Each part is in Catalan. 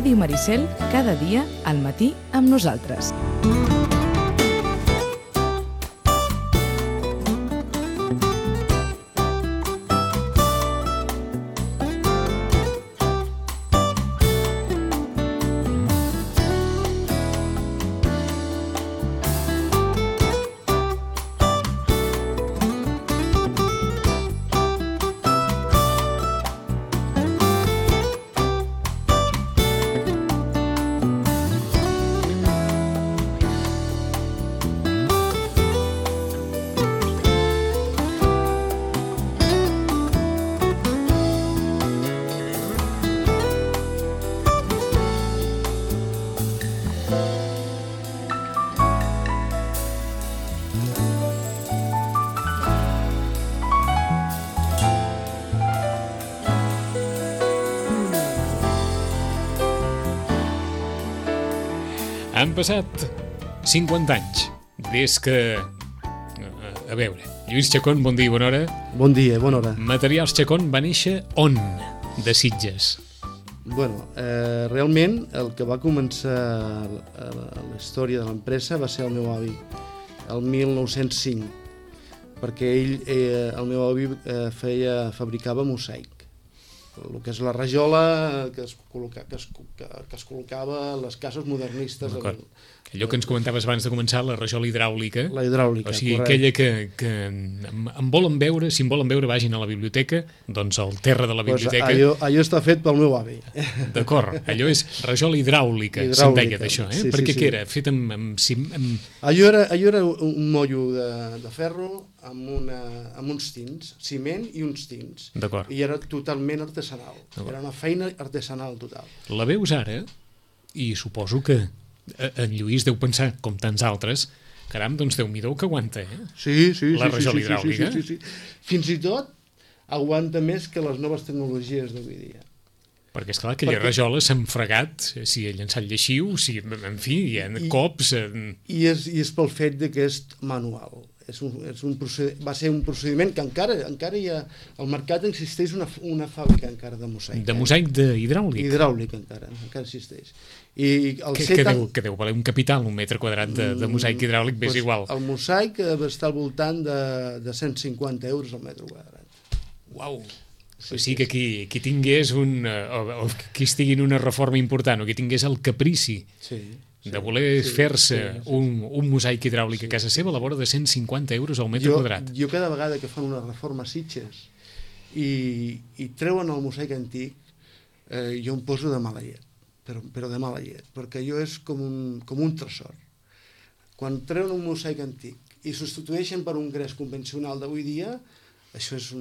Ràdio Maricel, cada dia al matí amb nosaltres. Han passat 50 anys des que... A veure, Lluís Chacón, bon dia i bona hora. Bon dia, bona hora. Materials Chacón va néixer on? De Sitges. Bueno, realment el que va començar la història de l'empresa va ser el meu avi, el 1905, perquè ell, el meu avi fabricava mosaic, el que és la rajola que es col·locava a les cases modernistes. Allò que ens comentaves abans de començar, la rajola hidràulica. La hidràulica, o sigui, correcte. aquella que en volen veure, si en volen veure vagin a la biblioteca, doncs al terra de la biblioteca. Allò està fet pel meu avi. D'acord, allò és rajola hidràulica, se'n deia d'això, sí, perquè sí. Què era? Fet amb... Allò era un mollo de ferro amb uns tins, ciment i uns tins. D'acord. I era totalment artesanal. Era una feina artesanal total. La veus ara i suposo que en Lluís deu pensar, com tants altres, caram, doncs Déu-n'hi-do que aguanta, Sí. La rajola hidràulica. Sí. Fins i tot aguanta més que les noves tecnologies d'avui dia. Perquè, esclar, aquella rajola s'ha fregat, si ha llançat lleixiu, si, en fi, hi ha cops... I és pel fet que és manual. Va ser un procediment que encara hi ha... Al mercat existeix una fàbrica encara de mosaic. De mosaic hidràulic? Hidràulic encara existeix. Que deu valer un capital, un metre quadrat de mosaic hidràulic, és igual. El mosaic va estar al voltant de 150 euros al metre quadrat. Uau! O sigui que qui tingués o qui estigui en una reforma important o qui tingués el caprici de voler fer-se un mosaic hidràulic a casa seva a la vora de 150 euros al metre quadrat. Jo cada vegada que fan una reforma a Sitges i treuen el mosaic antic, jo em poso de mala llet, però de mala llet, perquè allò és com un tresor. Quan treuen un mosaic antic i substitueixen per un gres convencional d'avui dia, això és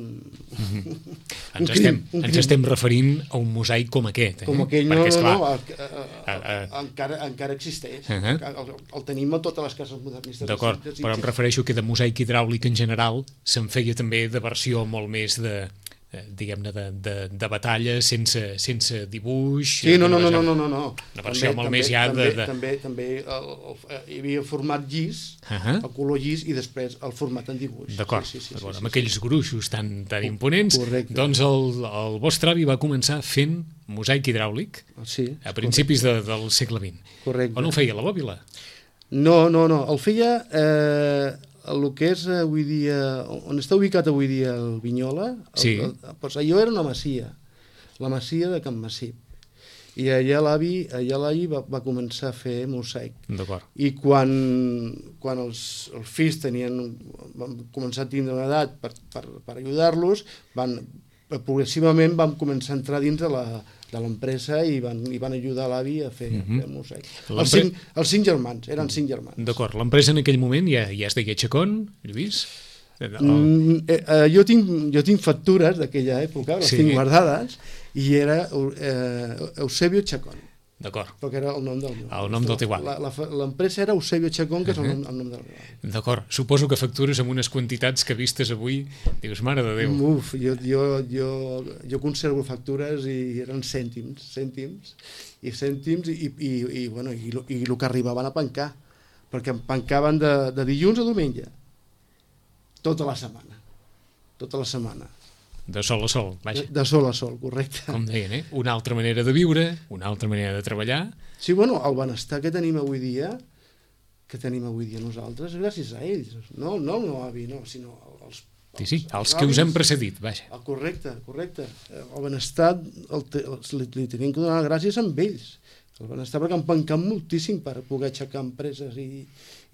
Ens estem referint a un mosaic com aquest. Com aquell, encara existeix. El tenim a totes les cases modernistes. D'acord, però em refereixo que de mosaic hidràulic en general se'n feia també de versió molt més diguem-ne, de batalla, sense dibuix... Sí, no. Una versió molt més ja de... També hi havia format llis, el color llis, i després el format en dibuix. D'acord, amb aquells gruixos tan imponents, doncs el vostre avi va començar fent mosaic hidràulic a principis del segle XX. Correcte. On ho feia, la Bòbila? No, el feia... el que és avui dia, on està ubicat avui dia el Vinyola, doncs allò era una masia, la masia de Can Massip, i allà l'avi va començar a fer mosaic. D'acord. I quan els fills van començar a tindre una edat per ajudar-los, progressivament van començar a entrar dins de l'empresa i van ajudar l'avi a fer mosaic. Els 5 germans, eren 5 germans. D'acord, l'empresa en aquell moment ja es deia Chacón, Lluís? Jo tinc factures d'aquella època, les tinc guardades, i era Eusebio Chacón. D'acord. Perquè era el nom del meu. El nom del teu avi. L'empresa era Eusebio Chacón, que és el nom del meu avi. D'acord. Suposo que factures amb unes quantitats que vistes avui, dius, mare de Déu. Uf, jo conservo factures i eren cèntims i el que arribaven a pencar, perquè em pencaven de dilluns a diumenge, tota la setmana. De sol a sol, vaja. De sol a sol, correcte. Com deien, una altra manera de viure, una altra manera de treballar. Sí, bueno, el benestar que tenim avui dia nosaltres, gràcies a ells. No el meu avi, no, sinó els els que us han precedit, vaja. Correcte. El benestar li tenim que donar gràcies amb ells. El benestar perquè han pencat moltíssim per poder aixecar empreses i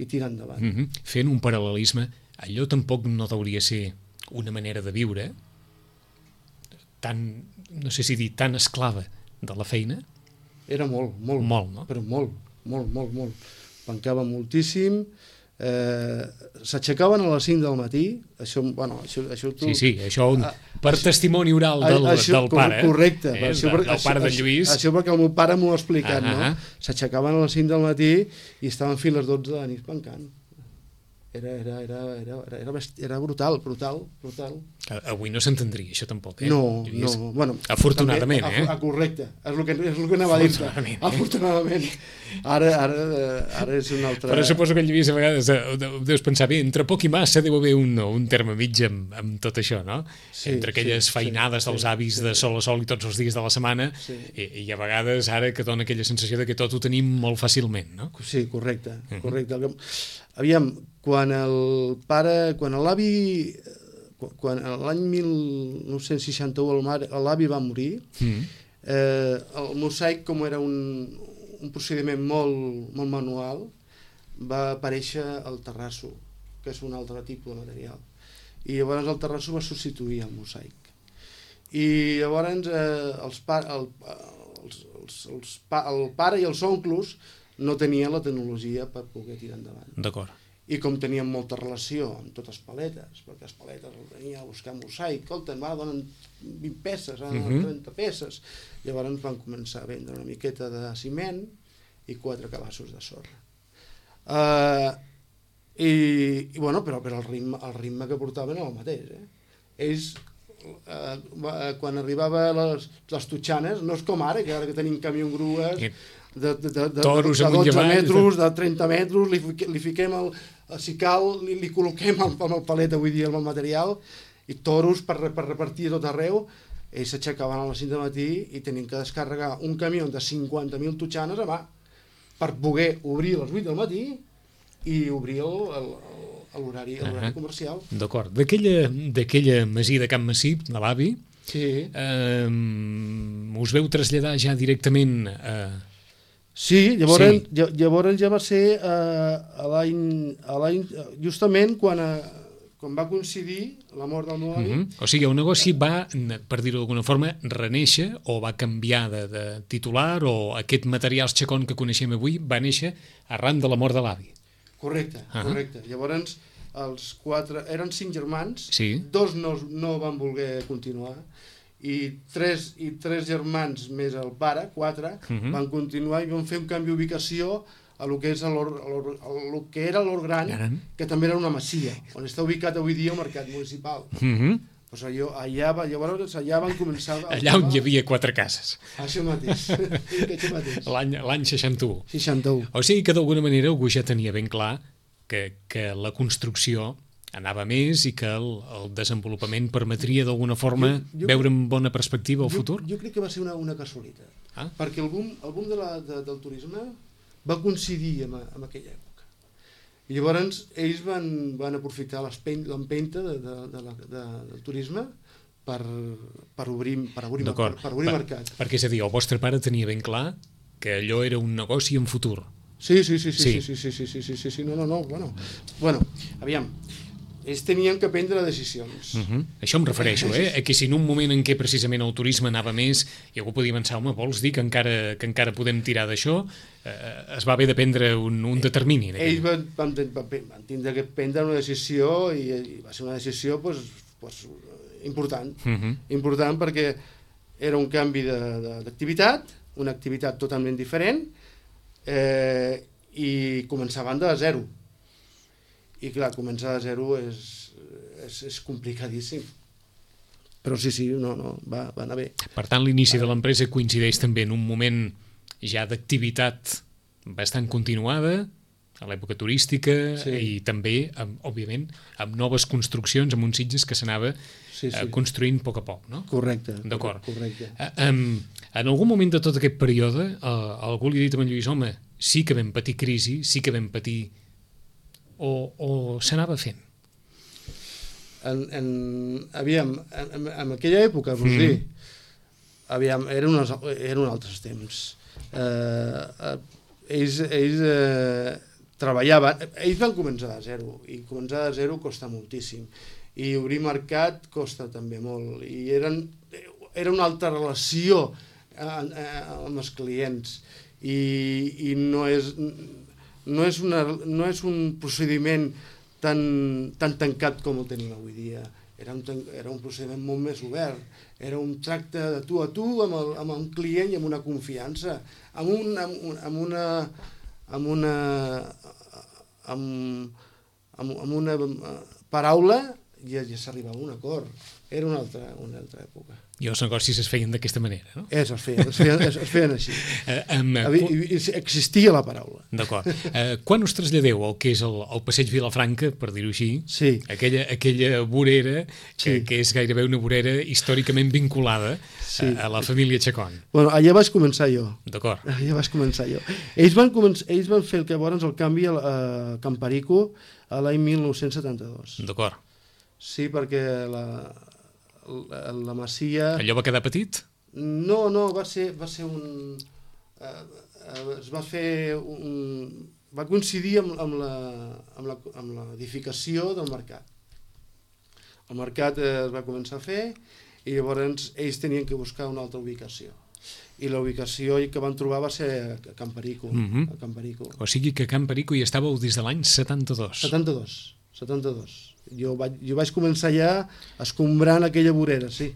tirar endavant. Fent un paral·lelisme, allò tampoc no hauria ser una manera de viure tan, no sé si dir, tan esclava de la feina. Era molt, no? Però molt. Pencava moltíssim, s'aixecaven a les 5 del matí, això tu... Sí, això per testimoni oral del pare. Correcte. Del pare de Lluís. Això perquè el meu pare m'ho ha explicat, no? S'aixecaven a les 5 del matí i estaven fins a les 12 de la nit pencant. Era brutal. Avui no s'entendria, això tampoc, No. Bueno, afortunadament, també, correcte. És el que anava a dir-te. Afortunadament. Ara és un altre... Però suposo que el Lluís a vegades deus pensar, bé, entre poc i massa deu haver un terme mig amb tot això, no? Sí, entre aquelles feinades dels avis de sol a sol i tots els dies de la setmana i a vegades ara que dona aquella sensació de que tot ho tenim molt fàcilment, no? Sí, correcte. Aviam, quan l'avi, quan l'any 1961 l'avi va morir, el mosaic, com era un procediment molt manual, va aparèixer el terrasso, que és un altre tipus de material. I llavors el terrasso va substituir el mosaic. I llavors el pare i els oncles no tenien la tecnologia per poder tirar endavant. D'acord. I com tenien molta relació amb totes les paletes, perquè les paletes el venia a buscar mosaic, escolta'm, ara donen 20 peces, ara 30 peces. Llavors van començar a vendre una miqueta de ciment i 4 cabassos de sorra. Però el ritme que portaven era el mateix. Ells, quan arribava les totxanes, no és com ara, que tenim camió grues de 12 metres, de 30 metres, li fiquem si cal, li col·loquem amb el palet avui dia amb el material, i toros per repartir tot arreu. Ells s'aixecaven a les 5 del matí i tenien que descarregar un camió de 50.000 totxanes a mà per poder obrir a les 8 del matí i obrir l'horari comercial. D'acord. D'aquella masia de Can Massip, de l'avi, us veu traslladar ja directament a... Sí, llavors ja va ser justament quan va coincidir la mort del meu avi. O sigui, el negoci va, per dir-ho d'alguna forma, reneixer o va canviar de titular, o aquest materials Chacón que coneixem avui va néixer arran de la mort de l'avi. Correcte. Llavors els 4, eren 5 germans, 2 no van voler continuar, i 3 germans més el pare, 4, van continuar i van fer un canvi d'ubicació a lo que era l'Hort Gran, que també era una masia, on està ubicat avui dia el mercat municipal. Allà van començar... Allà on hi havia 4 cases. Això mateix. L'any 61. 61. O sigui que d'alguna manera algú ja tenia ben clar que la construcció anava més i que el desenvolupament permetria d'alguna forma veure amb bona perspectiva el futur? Jo crec que va ser una casualitat, perquè el boom del turisme va coincidir amb aquella època. I llavors ells van aprofitar l'empenta del turisme per obrir mercat. Perquè és a dir, el vostre pare tenia ben clar que allò era un negoci en futur. Sí. No. Bueno, aviam, ells tenien que prendre decisions. Això em refereixo, que si en un moment en què precisament el turisme anava més i algú podia pensar, home, vols dir que encara podem tirar d'això? Es va haver de prendre un determini. Ells van tindre que prendre una decisió i va ser una decisió important. Important perquè era un canvi d'activitat, una activitat totalment diferent, i començaven de zero. I clar, començar de zero és complicadíssim. Però sí, va anar bé. Per tant, l'inici de l'empresa coincideix també en un moment ja d'activitat bastant continuada, a l'època turística i també, òbviament, amb noves construccions, amb uns Sitges que s'anava construint a poc a poc, no? Correcte. D'acord. En algun moment de tot aquest període, algú li ha dit a en Lluís, home, sí que vam patir crisi, sí que vam patir... o s'anava fent? Aviam, en aquella època, vols dir, aviam, eren altres temps. Ells treballaven, ells van començar de zero, i començar de zero costa moltíssim, i obrir mercat costa també molt, i era una altra relació amb els clients, i no és un procediment tan tancat com ho tenim avui dia. Era un procediment molt més obert, era un tracte de tu a tu amb un client i amb una confiança, amb una paraula ja s'arribava a un acord. Era una altra època. I els negocis es feien d'aquesta manera, no? Es feien així. Existia la paraula. D'acord. Quan us traslladeu al que és el passeig Vilafranca, per dir-ho així, aquella vorera, que és gairebé una vorera històricament vinculada a la família Chacón? Bueno, allà vaig començar jo. D'acord. Allà vaig començar jo. Ells van fer el que llavors el canvi a Camparico a l'any 1972. D'acord. Sí, perquè la masia... Allò va quedar petit? No, va ser un... es va fer un... va coincidir amb l'edificació del mercat. El mercat es va començar a fer i llavors ells tenien que buscar una altra ubicació. I la ubicació que van trobar va ser a Camparico. A Camparico. O sigui que a Camparico hi estàveu des de l'any 72. 72. Jo vaig començar ja escombrant aquella vorera, sí.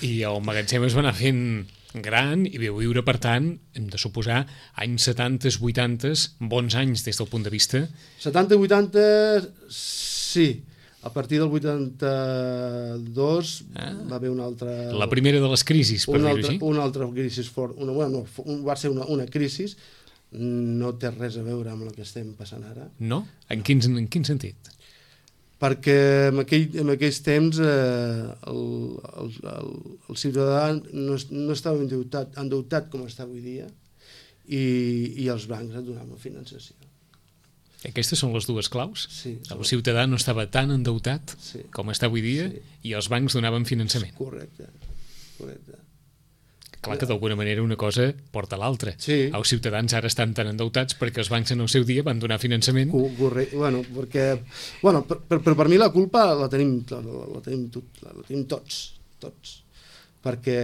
I el magatzem es va anar fent gran i vau viure, per tant, hem de suposar, anys 70, 80, bons anys des del punt de vista. 70, 80, sí. A partir del 82 va haver una altra... La primera de les crisis, per dir-ho així. Una altra crisi fort. Va ser una crisi. No té res a veure amb el que estem passant ara. No? En quin sentit? Perquè en aquells temps el ciutadà no estava endeutat com està avui dia i els bancs et donaven finançació. Aquestes són les dues claus? Sí. El ciutadà no estava tan endeutat com està avui dia i els bancs donaven finançament. Correcte. Clar que d'alguna manera una cosa porta a l'altra. Sí. Els ciutadans ara estan tan endeutats perquè els bancs en el seu dia van donar finançament. Correcte. Però per mi la culpa la tenim tots. Perquè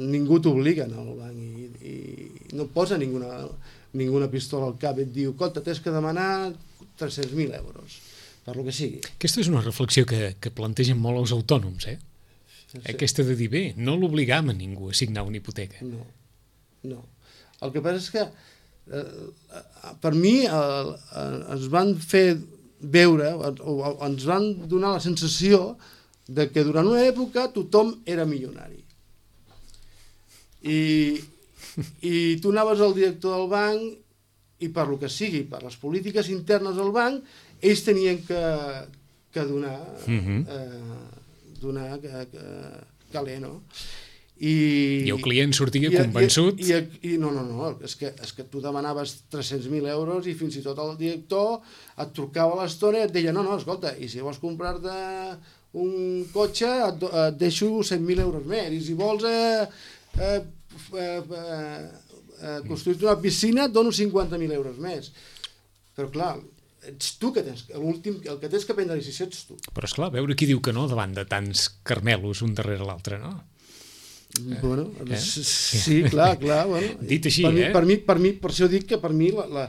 ningú t'obliga a anar al banc i no posa ninguna pistola al cap i et diu, escolta, t'has que demanar 300.000 euros, per lo que sigui. Aquesta és una reflexió que plantegen molt els autònoms, Aquesta de dir, bé, no l'obligam a ningú a signar una hipoteca. No. El que passa és que per mi ens van fer veure, o ens van donar la sensació de que durant una època tothom era milionari. I tu anaves al director del banc i per lo que sigui, per les polítiques internes del banc, ells tenien que donar... donar calé, no? I el client sortia convençut? No, és que tu demanaves 300.000 euros i fins i tot el director et trucava a l'estona i et deia, no, escolta, i si vols comprar-te un cotxe et deixo 100.000 euros més, i si vols construir-te una piscina et dono 50.000 euros més. Però clar, ets tu que tens, el que tens que prendre la decisió ets tu. Però esclar, veure qui diu que no davant de tants carmelos un darrere l'altre, no? Bueno, sí, clar. Bueno. Dit així, per mi, per això dic que per mi la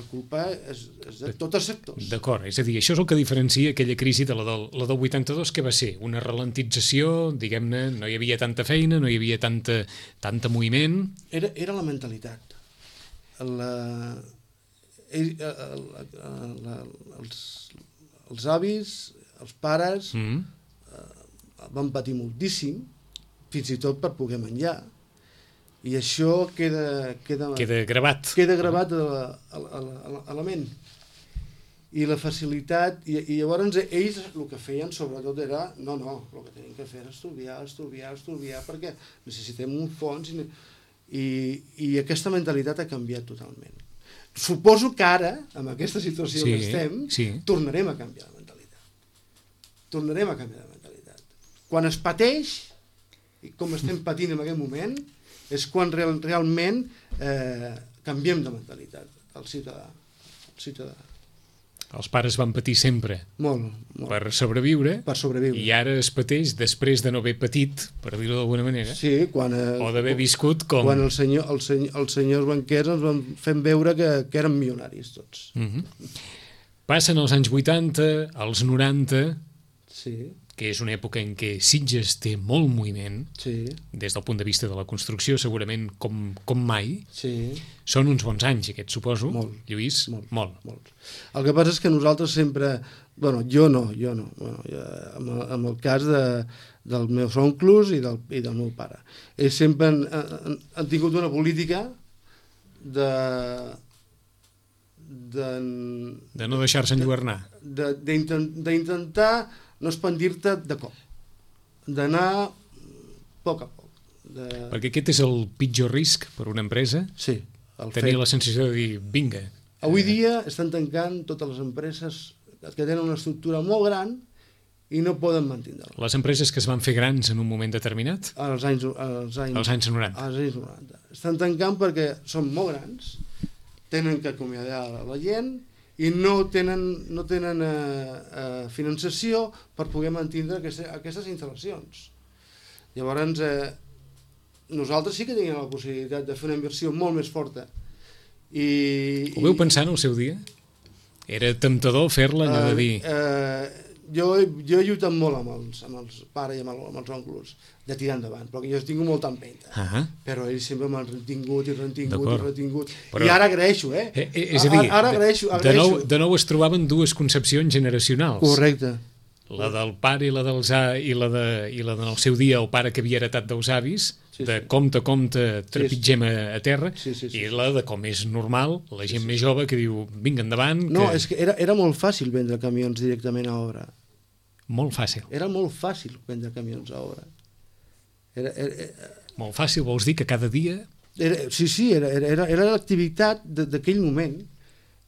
culpa és de tots els sectors. D'acord, és a dir, això és el que diferencia aquella crisi de la del 82, que va ser una ralentització, diguem-ne, no hi havia tanta feina, no hi havia tanta moviment... Era la mentalitat. Els avis, els pares van patir moltíssim, fins i tot per poder menjar, I això queda gravat. Queda gravat a la ment. I la facilitat, i llavors ells el que feien sobretot era, no, el que tenim que fer és estudiar, perquè necessitem un fons, i aquesta mentalitat ha canviat totalment. Suposo que ara, amb aquesta situació que estem, tornarem a canviar de mentalitat. Quan es pateix, i com estem patint en aquest moment, és quan realment canviem de mentalitat, el ciutadà. Els pares van patir sempre per sobreviure, i ara es pateix després de no haver patit, per dir-ho d'alguna manera, o d'haver viscut com... Quan els senyors banquers ens van fer veure que eren milionaris tots. Passen els anys 80, els 90, que és una època en què Sitges té molt moviment, des del punt de vista de la construcció, segurament com mai. Són uns bons anys, aquests, suposo, Lluís? Molt. El que passa és que nosaltres sempre... Jo no. En el cas dels meus oncles i del meu pare. Ells sempre han tingut una política de no deixar-se enlluernar. D'intentar no expandir-te de cop, d'anar a poc a poc. Perquè aquest és el pitjor risc per una empresa? Sí. Tenir la sensació de dir, vinga. Avui dia estan tancant totes les empreses que tenen una estructura molt gran i no poden mantenir-la. Les empreses que es van fer grans en un moment determinat? Als anys 90. Estan tancant perquè són molt grans, tenen que acomiadar la gent, i no tenen finançació per poder mantenir aquestes instal·lacions. Llavors, nosaltres sí que teníem la possibilitat de fer una inversió molt més forta. Ho veu pensar en el seu dia? Era temptador fer-la, allò de dir... Jo he lluitat molt amb els pares i amb els oncles de tirar endavant, perquè jo tinc molta empenta, però ells sempre m'han retingut, i ara agraeixo, És a dir, ara agraeixo. De nou es trobaven dues concepcions generacionals. Correcte. La del pare i la del seu dia, el pare que havia heretat dels avis, de compte, trepitgem a terra, i la de com és normal, la gent més jove que diu, vinga, endavant... No, és que era molt fàcil vendre camions directament a obra. Molt fàcil. Era molt fàcil vendre camions a obra. Molt fàcil, vols dir que cada dia... Era l'activitat d'aquell moment.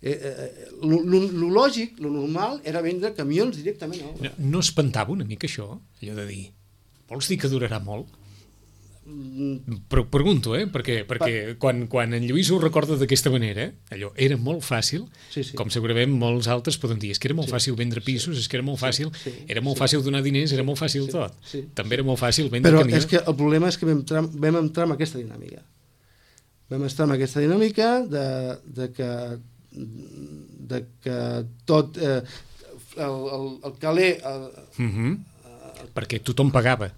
Lo lògic, lo normal, era vendre camions directament a obra. No espantava una mica això, allò de dir, vols dir que durarà molt? Però pregunto, perquè quan en Lluís ho recorda d'aquesta manera, allò era molt fàcil, com segurament molts altres poden dir, és que era molt fàcil vendre pisos, és que era molt fàcil, era molt fàcil donar diners, era molt fàcil tot. També era molt fàcil vendre camions. Però és que el problema és que vam entrar en aquesta dinàmica. Vam estar en aquesta dinàmica de que tot el caler... Perquè tothom pagava.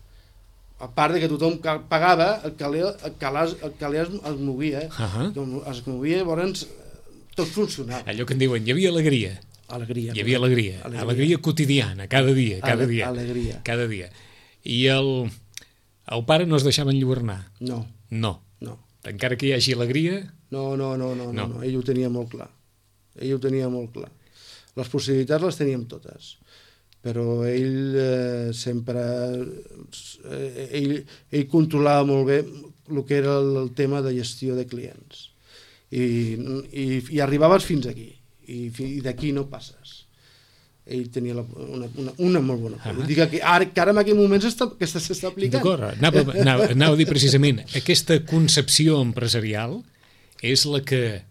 A part de que tothom pagava, el caler es movia. Es movia, llavors tot funcionava. Allò que en diuen, hi havia alegria. Hi havia alegria quotidiana, cada dia. Cada dia. I el pare no es deixava enlluernar. No. Encara que hi hagi alegria... No, ell ho tenia molt clar. Les possibilitats les teníem totes. Però ell sempre... Ell controlava molt bé el que era el tema de gestió de clients. I arribaves fins aquí. I d'aquí no passes. Ell tenia una molt bona política que ara en aquest moment s'està aplicant. D'acord, anava a dir precisament, aquesta concepció empresarial és la que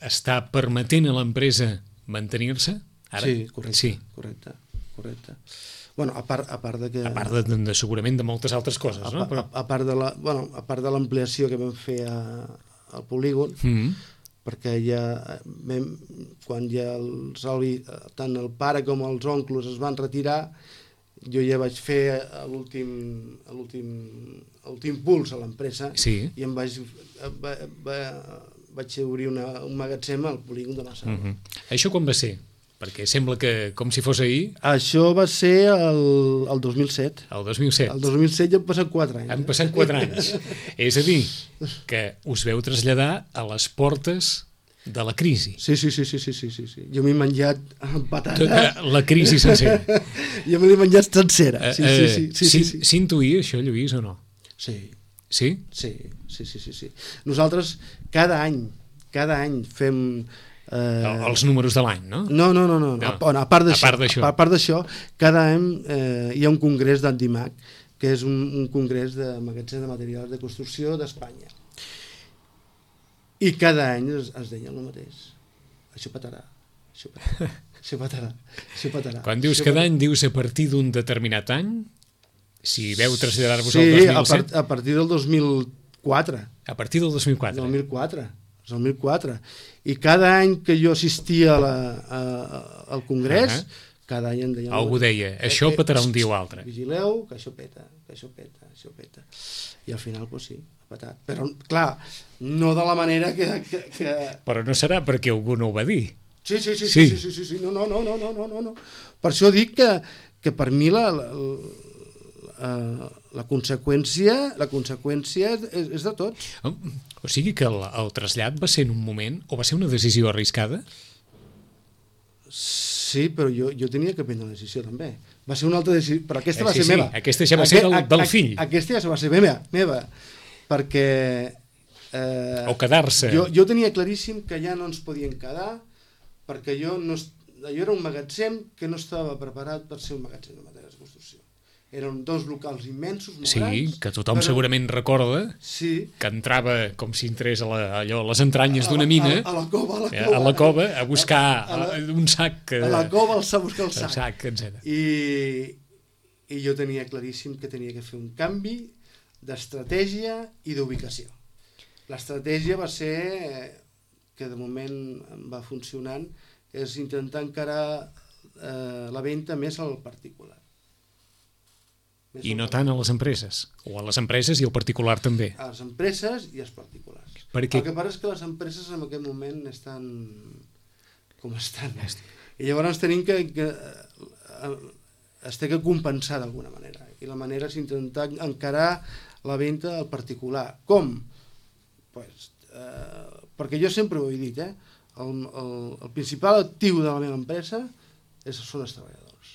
està permetent a l'empresa mantenir-se? Sí, correcte. Bueno, a part de que... A part de segurament de moltes altres coses, no? A part de l'ampliació que vam fer al polígon, perquè quan ja tant el pare com els oncles es van retirar, jo ja vaig fer l'últim puls a l'empresa i em vaig obrir un magatzem al polígon de Massana. Això quan va ser? Perquè sembla que, com si fos ahir... Això va ser el 2007. El 2007. El 2007 ja han passat 4 anys. Han passat 4 anys. És a dir, que us veu traslladar a les portes de la crisi. Sí. Jo m'he menjat patata. Tota la crisi sencera. Jo me l'he menjat sencera. Sí. S'intuïa això, Lluís, o no? Sí. Sí? Sí. Nosaltres cada any fem... Els números de l'any, no? No. A part d'això, cada any hi ha un congrés d'Andimac, que és un congrés de magatzem de materials de construcció d'Espanya. I cada any es deia el mateix. Això petarà. Quan dius cada any, dius a partir d'un determinat any? Si veu traslladar-vos al 2007? Sí, a partir del 2004. A partir del 2004? 2004. I cada any que jo assistia al congrés, cada any em deien... Algú deia, això petarà un dia o altre. Vigileu, que això peta. I al final, doncs sí, ha petat. Però, clar, no de la manera que... Però no serà perquè algú no ho va dir. Sí. No. Per això dic que per mi la conseqüència és de tots. O sigui que el trasllat va ser en un moment, o va ser una decisió arriscada? Sí, però jo tenia que prendre una decisió també. Va ser una altra decisió, però aquesta va ser meva. Aquesta ja va ser del fill. Aquesta ja va ser meva, perquè... o quedar-se. Jo tenia claríssim que ja no ens podien quedar, perquè jo era un magatzem que no estava preparat per ser un magatzem de materials de construcció. Eren 2 locals immensos, molt grans. Sí, que tothom segurament recorda, que entrava com si entrés a les entranyes d'una mina, a la cova, a buscar un sac. A la cova a buscar el sac, etc. I jo tenia claríssim que tenia que fer un canvi d'estratègia i d'ubicació. L'estratègia va ser, que de moment va funcionant, és intentar encarar la venda més al particular. I no tant a les empreses, o a les empreses i al particular també. A les empreses i als particulars. El que passa és que les empreses en aquest moment estan com estan. I llavors tenim que es té que compensar d'alguna manera. I la manera és intentar encarar la venda al particular. Com? Perquè jo sempre ho he dit, el principal actiu de la meva empresa són els treballadors,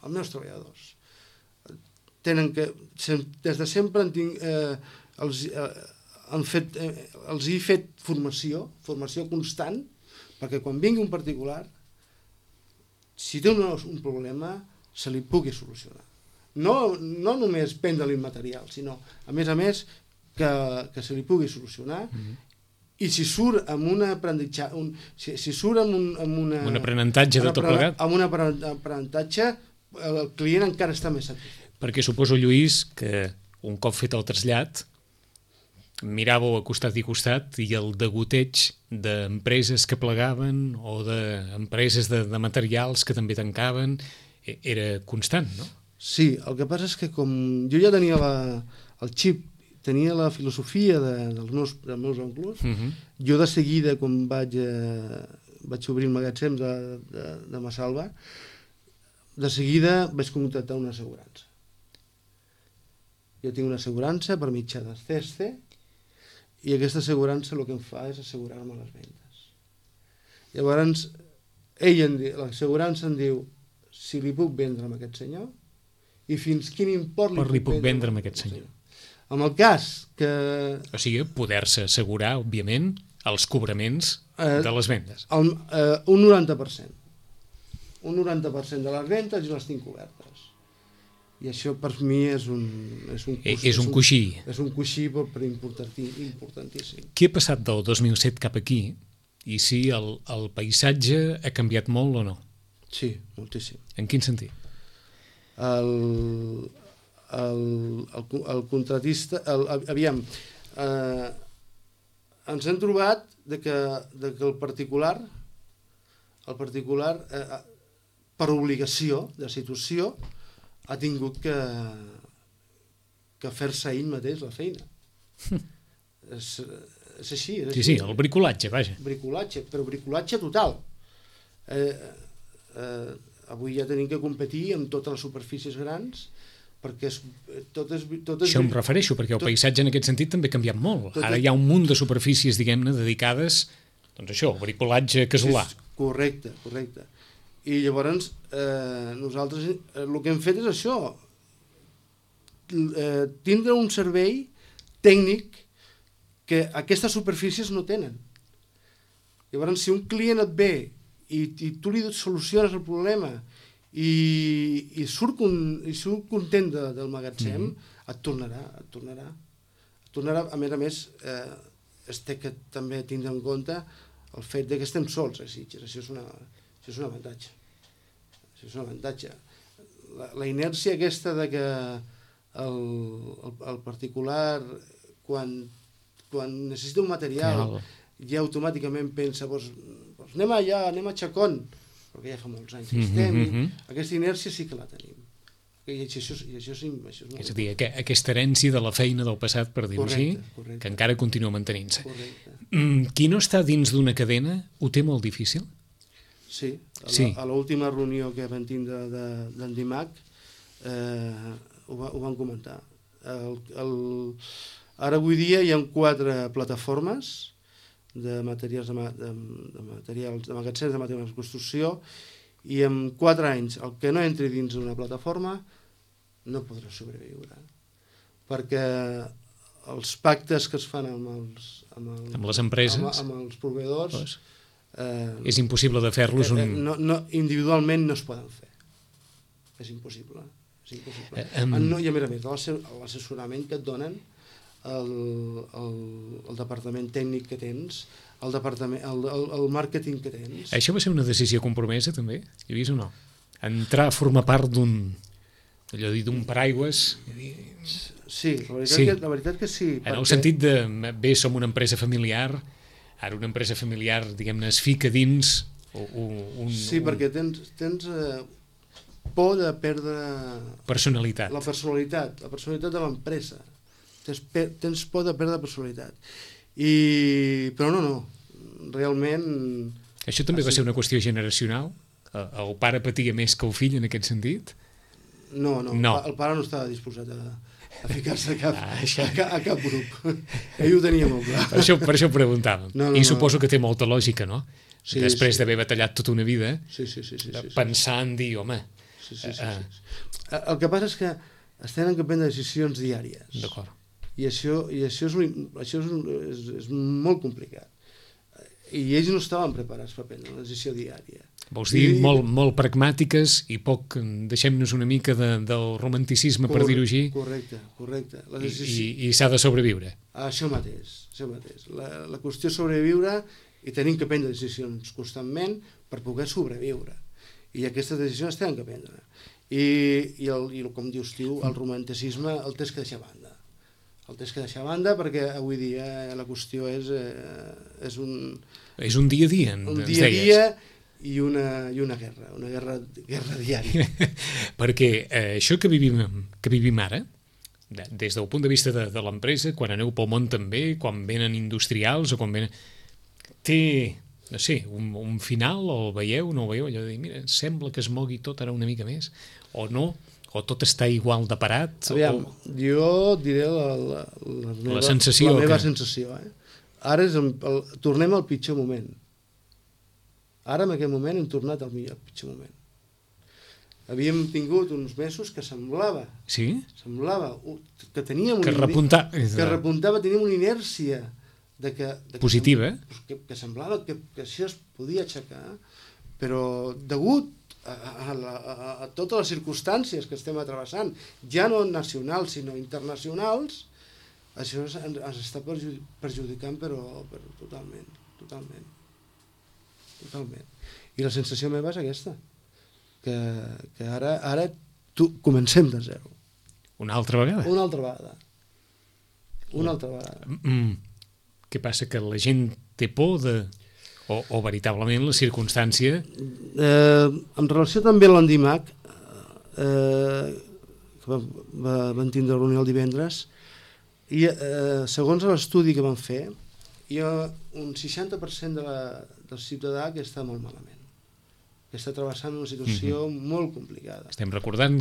els meus treballadors. Des de sempre els he fet formació constant, perquè quan vingui un particular, si té un problema, se li pugui solucionar. No només prendre-li material, sinó, a més, que se li pugui solucionar. I si surt amb un aprenentatge, un aprenentatge de tot plegat, amb un aprenentatge, el client encara està més satisfet. Perquè suposo, Lluís, que un cop fet el trasllat miràveu a costat i costat i el degoteig d'empreses que plegaven o d'empreses de materials que també tancaven era constant, no? Sí, el que passa és que com jo ja tenia el xip, tenia la filosofia dels meus oncles, jo de seguida, quan vaig obrir el magatzem de Massalva, de seguida vaig contractar una assegurança. Jo tinc una assegurança per mitjà del CESCE i aquesta assegurança el que em fa és assegurar-me les vendes. Llavors, l'assegurança em diu si li puc vendre amb aquest senyor i fins quin import li puc vendre amb aquest senyor. En el cas que... O sigui, poder-se assegurar, òbviament, els cobraments de les vendes. Un 90%. Un 90% de les vendes i les tinc cobertes. I això per mi és un coixí. És un coixí per importantíssim. Què ha passat del 2007 cap aquí? I si el paisatge ha canviat molt o no? Sí, moltíssim. En quin sentit? El contratista... Aviam, ens hem trobat que el particular, per obligació de situació, ha tingut que fer-se ell mateix la feina. És així. Sí, el bricolatge, vaja. Bricolatge, però bricolatge total. avui ja tenim que competir amb totes les superfícies grans, perquè totes... Això em refereixo, perquè el paisatge en aquest sentit també ha canviat molt. Ara hi ha un munt de superfícies, diguem-ne, dedicades, doncs això, al bricolatge casolà. Correcte. I llavors nosaltres el que hem fet és això, tindre un servei tècnic que aquestes superfícies no tenen. Llavors, si un client et ve i tu li soluciones el problema i surt content del magatzem, et tornarà. A més, es té que també tindre en compte el fet que estem sols a Sitges. Això és un avantatge. La inèrcia aquesta de que el particular, quan necessita un material, ja automàticament pensa, doncs anem allà, anem a Chacón, perquè ja fa molts anys que estem, aquesta inèrcia sí que la tenim. I això és molt... És a dir, aquesta herència de la feina del passat, per dir-ho així, que encara continua mantenint-se. Qui no està dins d'una cadena ho té molt difícil? Sí. A l'última reunió que vam tindre d'Endimac ho van comentar. Ara avui dia hi ha 4 plataformes de materials de magatzems de materials de construcció, i en 4 anys el que no entri dins d'una plataforma no podrà sobreviure, perquè els pactes que es fan amb les empreses, amb els proveïdors, és impossible de fer-los individualment no es poden fer, és impossible. I a més l'assessorament que et donen el departament tècnic que tens, el màrqueting que tens. Això va ser una decisió compromesa també? Hi havies o no? Entrar a formar part d'un paraigües? Sí, la veritat que sí. En el sentit de, bé, som una empresa familiar, ara una empresa familiar, diguem-ne, es fica dins Sí, perquè tens por de perdre personalitat. La personalitat de l'empresa. Tens por de perdre personalitat. Però no, realment... Això també va ser una qüestió generacional? El pare patia més que el fill en aquest sentit? No. El pare no estava disposat a ficar-se a cap grup. Ell ho tenia molt clar. Per això ho preguntàvem. I suposo que té molta lògica, no? Sí, després d'haver batallat tota una vida, pensar en dir, home... El que passa és que es tenen que prendre decisions diàries. D'acord. I això és molt complicat. I ells no estaven preparats per prendre una decisió diària. Vols dir molt pragmàtiques i poc, deixem-nos una mica del romanticisme, per dir-ho així. Correcte. I s'ha de sobreviure. Això mateix. La qüestió és sobreviure i tenim que prendre decisions constantment per poder sobreviure. I aquestes decisions es tenen que prendre. I com dius tu, el romanticisme el tens que deixar a banda. Perquè avui dia la qüestió és un... És un dia a dia, un dia a dia i una guerra diària. Perquè això que vivim ara, des del punt de vista de l'empresa, quan aneu pel món també, quan venen industrials o quan venen... Té... no sé, un final, o el veieu, no el veieu, allò de dir, mira, sembla que es mogui tot ara una mica més, o no, o tot està igual de parat. Aviam, jo diré la meva sensació. Ara tornem al pitjor moment. Ara, en aquest moment, hem tornat al pitjor moment. Havíem tingut uns mesos que semblava que teníem que repuntava, teníem una inèrcia positiva, que semblava que això es podia aixecar, però degut a totes les circumstàncies que estem travessant, ja no nacionals sinó internacionals, això ens està perjudicant però totalment. I la sensació meva és aquesta, que ara comencem de zero. Una altra vegada? Una altra vegada. Què passa, que la gent té por o veritablement la circumstància... En relació també a l'Endimac, que van tindre reunió el divendres, i segons l'estudi que van fer, hi ha un 60% del ciutadà que està molt malament. que està travessant una situació molt complicada. Estem recordant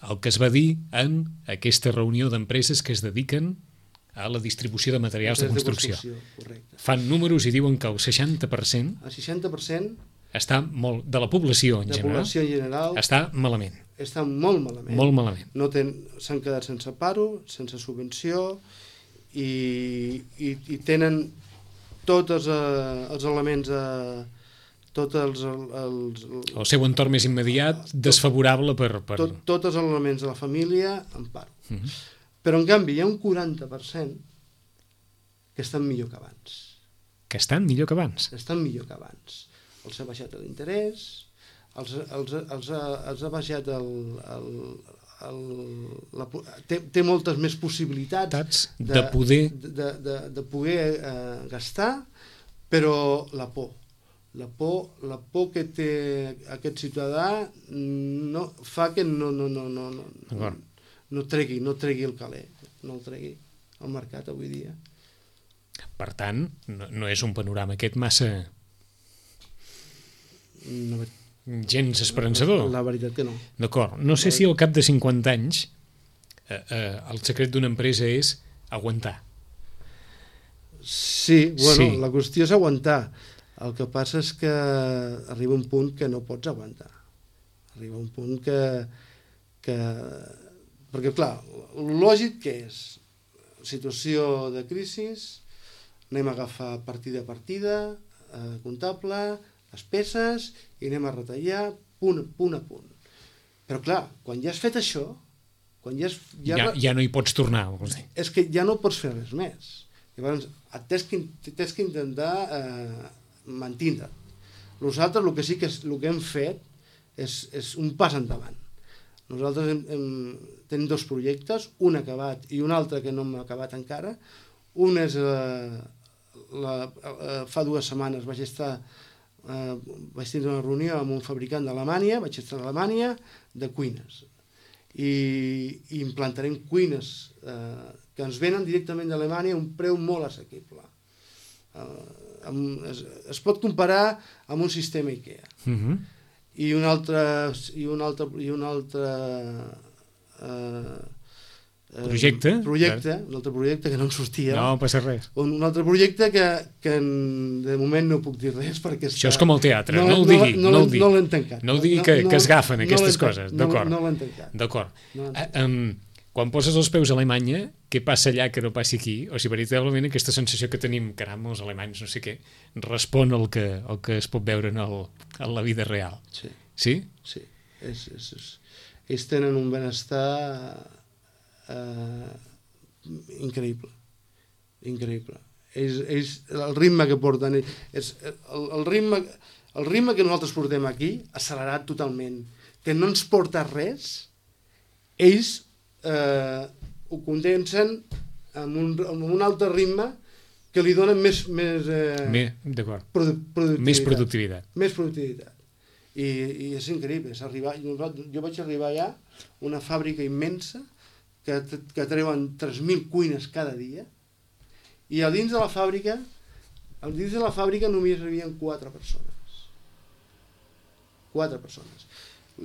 el que es va dir en aquesta reunió d'empreses que es dediquen a la distribució de materials de construcció. Correcte. Fan números i diuen que el 60%, el 60% està molt, de la població en general està malament. Està molt malament. Molt malament. S'han quedat sense paro, sense subvenció i tenen tots els elements el seu entorn més immediat desfavorable per... Tots els elements de la família en paro. Però en canvi hi ha un 40% que estan millor que abans. Que estan millor que abans? Estan millor que abans. Els ha baixat l'interès, els ha baixat té moltes més possibilitats de poder gastar, però la por que té aquest ciutadà fa que no tregui el caler, no el tregui al mercat avui dia. Per tant, no és un panorama aquest massa gens esperançador. La veritat que no. D'acord. No sé si al cap de 50 anys el secret d'una empresa és aguantar. Sí, bueno, la qüestió és aguantar. El que passa és que arriba un punt que no pots aguantar. Arriba un punt que perquè, clar, el lògic que és situació de crisi, anem a agafar partida a partida, comptable, despeses, i anem a retallar punt a punt. Però, clar, quan ja has fet això, ja no hi pots tornar. És que ja no pots fer res més. Llavors, t'has que intentar mantindre't. Nosaltres el que sí que hem fet és un pas endavant. Nosaltres tenim dos projectes, un acabat i un altre que no hem acabat encara. Un és, fa 2 setmanes vaig tindre una reunió amb un fabricant d'Alemanya, vaig estar a Alemanya, de cuines. I implantarem cuines que ens venen directament d'Alemanya a un preu molt assequible. Es pot comparar amb un sistema IKEA. I un altre projecte que no em sortia. No passa res. Un altre projecte que de moment no puc dir res perquè això és com el teatre, no el digui. No l'hem tancat. No ho digui que es gafen aquestes coses. D'acord. No l'hem tancat. D'acord. Quan poses els peus a Alemanya, què passa allà que no passi aquí? O sigui, veritablement aquesta sensació que tenim, caram, els alemanys, no sé què, respon al que es pot veure en la vida real. Sí. Sí? Sí. Ells tenen un benestar increïble. Increïble. El ritme que porten, el ritme que nosaltres portem aquí, accelerat totalment, que no ens porta res, ells ho condensen amb un altre ritme que li donen més productivitat. Més productivitat. I és increïble. Jo vaig arribar allà a una fàbrica immensa que treuen 3.000 cuines cada dia i a dins de la fàbrica només hi havia 4 persones. 4 persones.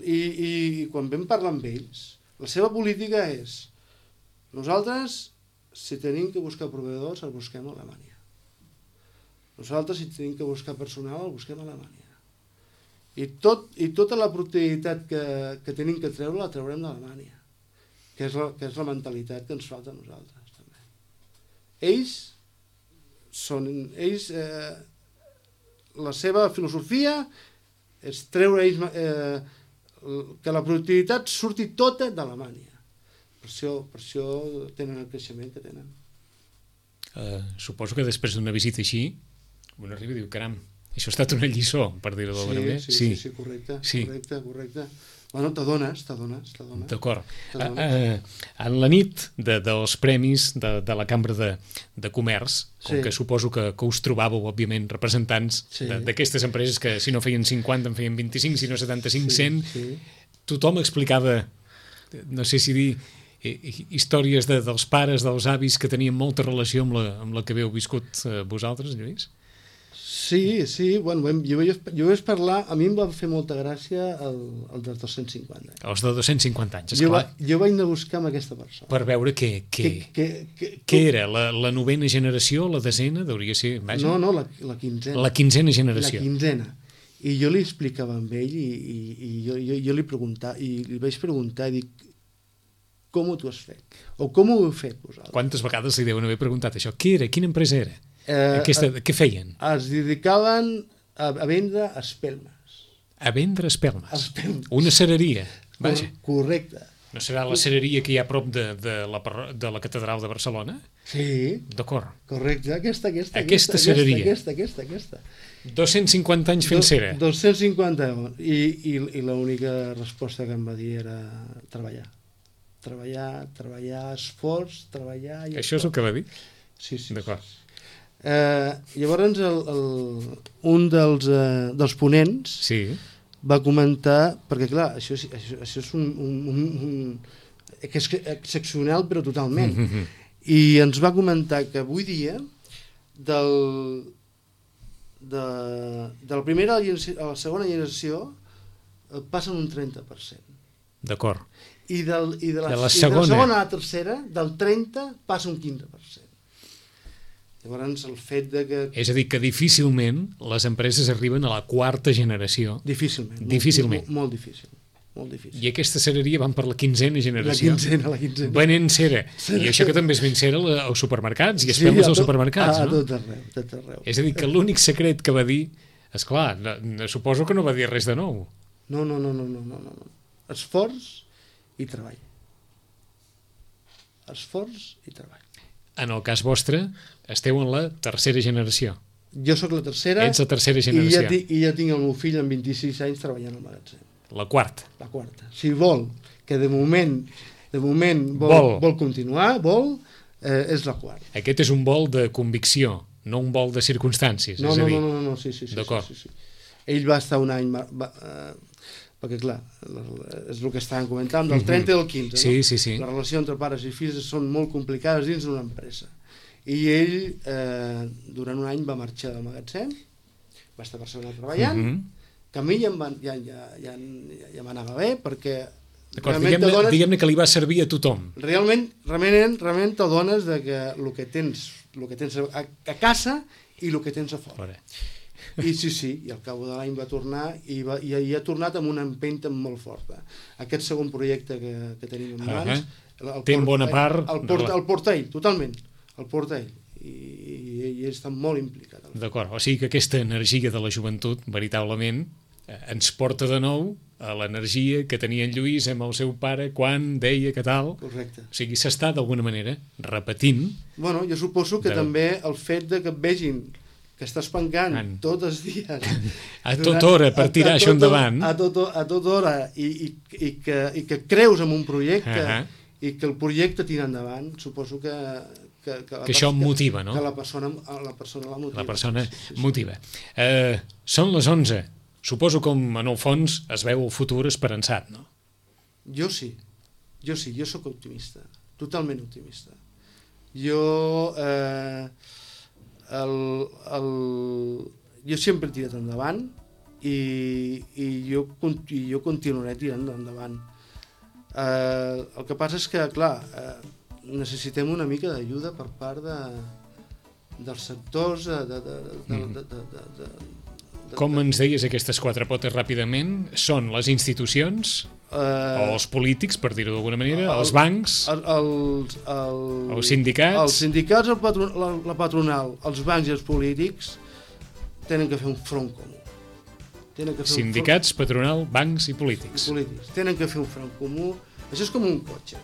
I quan vam parlar amb ells, la seva política és: nosaltres, si tenim que buscar proveïdors, el busquem a Alemanya. Nosaltres, si tenim que buscar personal, el busquem a Alemanya. I tota la productivitat que tenim que treure, la traurem d'Alemanya, que és la mentalitat que ens falta a nosaltres. També. La seva filosofia és treure que la productivitat surti tota d'Alemanya. Per això tenen el creixement que tenen. Suposo que després d'una visita així un arriba i diu, caram, això ha estat una lliçó, per dir-ho d'alguna manera. Sí, correcte. Bueno, t'adones. D'acord. En la nit dels premis de la Cambra de Comerç, com que suposo que us trobàveu, òbviament, representants d'aquestes empreses que si no feien 50 en feien 25, si no 75, 100, tothom explicava, no sé si dir, històries dels pares, dels avis que tenien molta relació amb la que haveu viscut vosaltres, Lluís? Sí, bueno, jo vaig parlar, a mi em va fer molta gràcia el dels 250 anys. Els de 250 anys, esclar. Jo vaig anar a buscar amb aquesta persona. Per veure què era, la novena generació, la desena, hauria ser... Vaja. No, la quinzena. La quinzena generació. La quinzena. I jo li explicava amb ell i jo li preguntava, i li vaig preguntar i dic, com ho tu has fet? O com ho heu fet vosaltres? Quantes vegades li deuen haver preguntat això? Què era? Quina empresa era? Què feien? Es dedicaven a vendre espelmes. A vendre espelmes? Una cereria, vaja. Correcte. No serà la cereria que hi ha a prop de la catedral de Barcelona? Sí. D'acord. Correcte, aquesta cereria. Aquesta. 250 anys fent cera. 250, i l'única resposta que em va dir era treballar, esforç, treballar... Això és el que va dir? Sí. D'acord. Llavors un dels ponents va comentar, perquè clar, això és que és excepcional però totalment, i ens va comentar que avui dia de la primera a la segona generació passen un 30%. D'acord. I de la segona a la tercera, del 30 passa un 15%. Llavors, el fet de que... És a dir, que difícilment les empreses arriben a la quarta generació. Difícilment. Molt difícil. I aquesta cereria van per la quinzena generació. La quinzena. Venent cera. I això que també es ven cera als supermercats, i espelmes als supermercats, no? A tot arreu. És a dir, que l'únic secret que va dir, esclar, suposo que no va dir res de nou. No. Esforç i treball. Esforç i treball. En el cas vostre, esteu en la tercera generació. Jo sóc la tercera. Ets la tercera generació. I ja tinc el meu fill amb 26 anys treballant al magatzem. La quarta. Si vol, que de moment vol continuar, és la quarta. Aquest és un vol de convicció, no un vol de circumstàncies. No, sí. D'acord. Sí. Ell va estar un any... perquè clar, és el que estàvem comentant, del 30 i del 15, no? Sí. La relació entre pares i fills són molt complicades dins d'una empresa. I ell, durant un any, va marxar del magatzem, va estar Barcelona treballant, que a mi ja m'anava bé, perquè... Diguem-ne que li va servir a tothom. Realment t'adones que el que tens a casa i el que tens a fora. I sí, i al cap de l'any va tornar i ha tornat amb una empenta molt forta. Aquest segon projecte que tenim en mans, té en bona part... El porta ell, totalment, el porta ell, i ell està molt implicat. D'acord, o sigui que aquesta energia de la joventut, veritablement, ens porta de nou a l'energia que tenia en Lluís amb el seu pare quan deia que tal. Correcte. O sigui, s'està d'alguna manera repetint. Bueno, jo suposo que també el fet de que et vegin que estàs pencant tots els dies a tota hora per tirar això endavant, a tota hora, i que creus en un projecte i que el projecte tira endavant, suposo que això motiva, no? Que la persona la motiva. La persona motiva. Són les 11. Suposo que en el fons es veu el futur esperançat, no? Jo sí, jo sóc optimista, totalment optimista. Jo sempre he tirat endavant i jo continuaré tirant endavant. El que passa és que, clar, necessitem una mica d'ajuda per part dels sectors Com ens deies aquestes quatre potes ràpidament? Són les institucions, o els polítics, per dir-ho d'alguna manera, els bancs, els sindicats... Els sindicats, la patronal, els bancs i els polítics tenen que fer un front comú. Sindicats, patronal, bancs i polítics. Tenen que fer un front comú. Això és com un cotxe.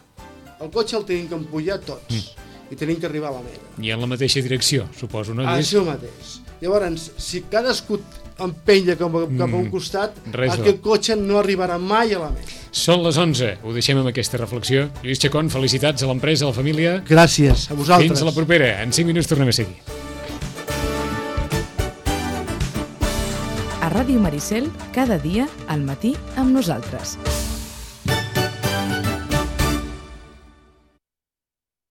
El cotxe el tenim que empullar tots i tenim que arribar a la meta. I en la mateixa direcció, suposo, no? Això mateix. Llavors, si cadascú empenya cap a un costat, aquest cotxe no arribarà mai a la meta. Són les 11, ho deixem amb aquesta reflexió. Lluís Chacón, felicitats a l'empresa, a la família. Gràcies, a vosaltres. Fins a la propera, en 5 minuts tornem a seguir. A Ràdio Maricel, cada dia, al matí, amb nosaltres.